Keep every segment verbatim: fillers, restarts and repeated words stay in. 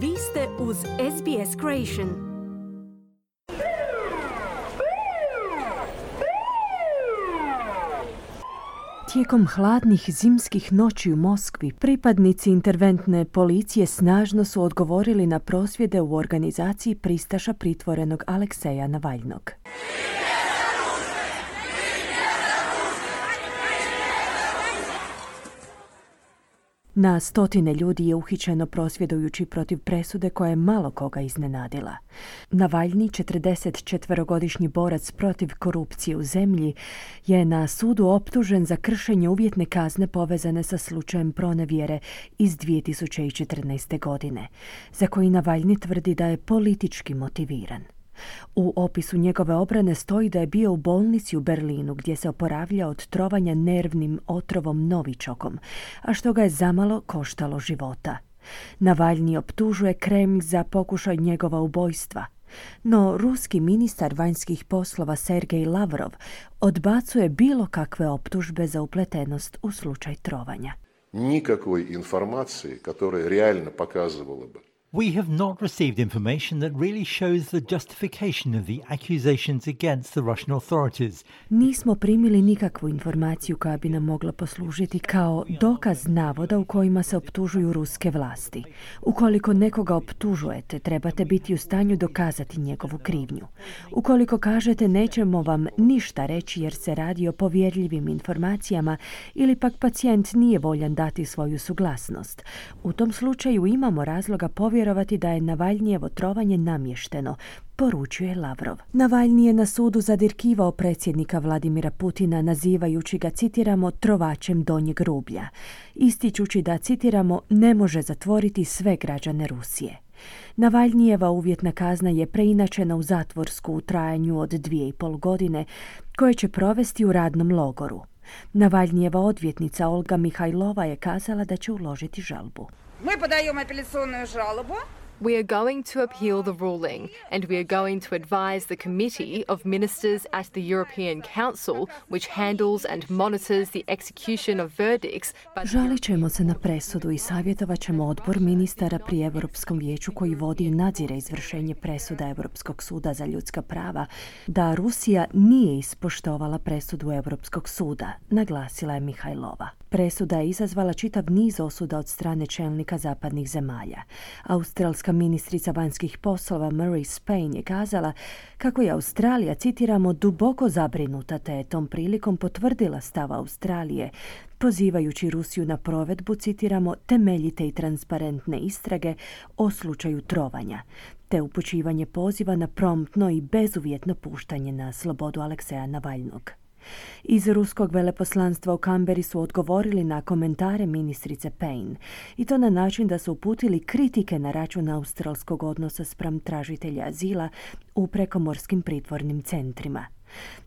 Vi ste uz S B S Creation. Tijekom hladnih zimskih noći u Moskvi, pripadnici interventne policije snažno su odgovorili na prosvjede u organizaciji pristaša pritvorenog Alekseja Navaljnog. Na stotine ljudi je uhićeno prosvjedujući protiv presude koja je malo koga iznenadila. Navaljni, četrdesetčetverogodišnji borac protiv korupcije u zemlji, je na sudu optužen za kršenje uvjetne kazne povezane sa slučajem pronevjere iz dvije tisuće četrnaeste. godine, za koji Navaljni tvrdi da je politički motiviran. U opisu njegove obrane stoji da je bio u bolnici u Berlinu gdje se oporavlja od trovanja nervnim otrovom novičokom, a što ga je zamalo koštalo života. Navaljni optužuje Kremlj za pokušaj njegova ubojstva. No ruski ministar vanjskih poslova Sergej Lavrov odbacuje bilo kakve optužbe za upletenost u slučaj trovanja. Nikakvoj informacije, koja realno pokazivala bi We have not received information that really shows the justification of the accusations against the Russian authorities. Nismo primili nikakvu informaciju koja bi nam mogla poslužiti kao dokaz navoda u kojima se optužuju ruske vlasti. Ukoliko nekoga optužujete, trebate biti u stanju dokazati njegovu krivnju. Ukoliko kažete nećemo vam ništa reći jer se radi o povjerljivim informacijama ili pak pacijent nije voljan dati svoju suglasnost, u tom slučaju imamo razloga povjerovati da je Navaljnijevo trovanje namješteno, poručuje Lavrov. Navaljni je na sudu zadirkivao predsjednika Vladimira Putina, nazivajući ga, citiramo, trovačem donjeg rublja, ističući da, citiramo, ne može zatvoriti sve građane Rusije. Navaljnijeva uvjetna kazna je preinačena u zatvorsku u trajanju od dvije i pol godine, koje će provesti u radnom logoru. Navaljnijeva odvjetnica Olga Mihajlova je kazala da će uložiti žalbu. Мы подаем апелляционную жалобу. We are going to appeal the ruling, and we are going to advise the Committee of Ministers at the European Council, which handles and monitors the execution of verdicts. But... Žalit ćemo se na presudu i savjetovat ćemo odbor ministara pri Europskom vijeću koji vodi i nadzire izvršenje presuda Europskog suda za ljudska prava, da Rusija nije ispoštovala presudu Europskog suda, naglasila je Mihajlova. Presuda je izazvala čitav niz osuda od strane čelnika zapadnih zemalja. Australska ministrica vanjskih poslova Murray Spain je kazala kako je Australija, citiramo, duboko zabrinuta, te je tom prilikom potvrdila stav Australije, pozivajući Rusiju na provedbu, citiramo, temeljite i transparentne istrage o slučaju trovanja, te upućivanje poziva na promptno i bezuvjetno puštanje na slobodu Alekseja Navaljnog. Iz ruskog veleposlanstva u Kamberi su odgovorili na komentare ministrice Payne, i to na način da su uputili kritike na račun australskog odnosa spram tražitelja azila u prekomorskim pritvornim centrima.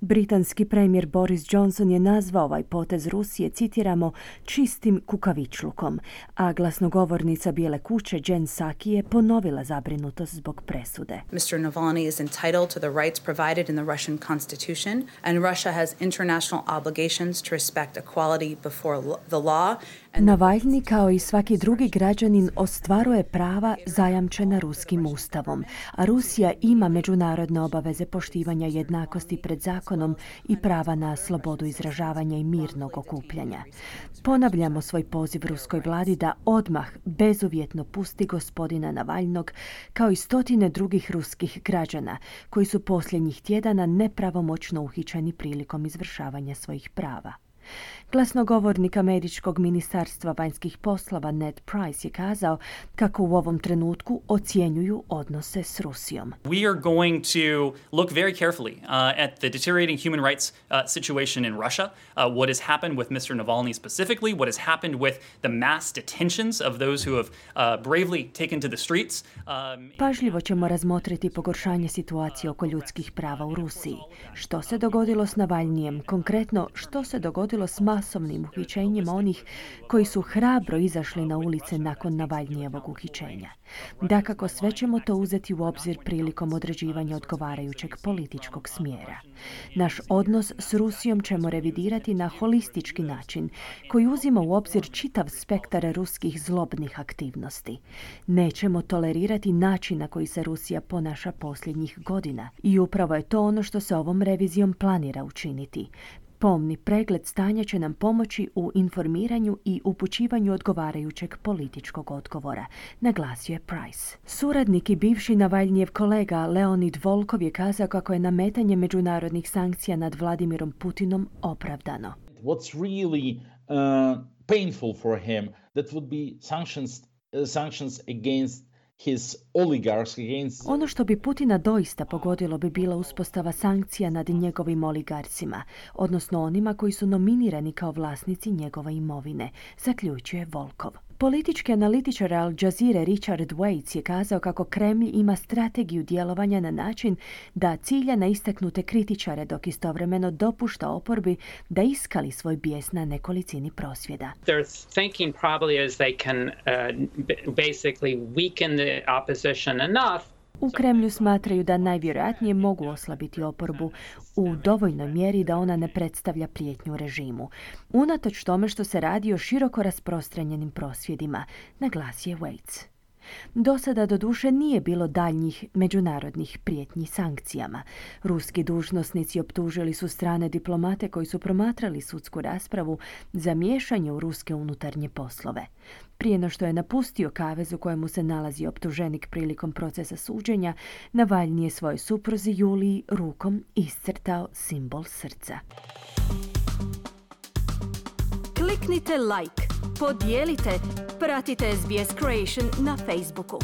Britanski premijer Boris Johnson je nazvao ovaj potez Rusije, citiramo, čistim kukavičlukom, a glasnogovornica Bijele kuće Jen Psaki je ponovila zabrinutost zbog presude. mister Navalny is entitled to the rights provided in the Russian constitution, and Russia has international obligations to respect equality before the law. Navaljni, kao i svaki drugi građanin, ostvaruje prava zajamčena ruskim ustavom, a Rusija ima međunarodne obaveze poštivanja jednakosti pred zakonom i prava na slobodu izražavanja i mirnog okupljanja. Ponavljamo svoj poziv ruskoj vladi da odmah bezuvjetno pusti gospodina Navaljnog, kao i stotine drugih ruskih građana koji su posljednjih tjedana nepravomoćno uhićeni prilikom izvršavanja svojih prava. Glasnogovornik američkog ministarstva vanjskih poslova Ned Price je kazao kako u ovom trenutku ocjenjuju odnose s Rusijom. We are going to look very carefully uh, at the deteriorating human rights uh, situation in Russia, uh, what has happened with mister Navalny specifically, what has happened with the mass detentions of those who have uh, bravely taken to the streets. Um, Pažljivo ćemo razmotriti pogoršanje situacije oko ljudskih prava u Rusiji. Što se dogodilo s Navaljnijem? Konkretno, što se dogodilo s masovnim uhićenjima onih koji su hrabro izašli na ulice nakon Navalnijevog uhićenja. Dakako, sve ćemo to uzeti u obzir prilikom određivanja odgovarajućeg političkog smjera. Naš odnos s Rusijom ćemo revidirati na holistički način koji uzima u obzir čitav spektar ruskih zlobnih aktivnosti. Nećemo tolerirati način na koji se Rusija ponaša posljednjih godina i upravo je to ono što se ovom revizijom planira učiniti. Pomni pregled stanja će nam pomoći u informiranju i upućivanju odgovarajućeg političkog odgovora, naglasio je Price. Suradnik i bivši Navalnjijev kolega Leonid Volkov je kazao kako je nametanje međunarodnih sankcija nad Vladimirom Putinom opravdano. What's really uh, painful for him that would be sanctions uh, sanctions against his oligarchs, against... Ono što bi Putina doista pogodilo bi bila uspostava sankcija nad njegovim oligarsima, odnosno onima koji su nominirani kao vlasnici njegove imovine, zaključuje Volkov. Politički analitičar Al Jazeera Richard Waits je kazao kako Kremlj ima strategiju djelovanja na način da cilja na istaknute kritičare dok istovremeno dopušta oporbi da iskali svoj bijes na nekolicini prosvjeda. They're thinking probably as they can uh, basically weaken the opposition enough. U Kremlju smatraju da najvjerojatnije mogu oslabiti oporbu u dovoljnoj mjeri da ona ne predstavlja prijetnju režimu. Unatoč tome što se radi o široko rasprostranjenim prosvjedima, naglasio je Waits. Do sada doduše nije bilo daljnjih međunarodnih prijetnji sankcijama. Ruski dužnosnici optužili su strane diplomate koji su promatrali sudsku raspravu za miješanje u ruske unutarnje poslove. Prije no što je napustio kavez u kojemu se nalazi optuženik prilikom procesa suđenja, Navalnji je svojoj supruzi Juliji rukom iscrtao simbol srca. Kliknite like, podijelite, pratite S B S Creation na Facebooku.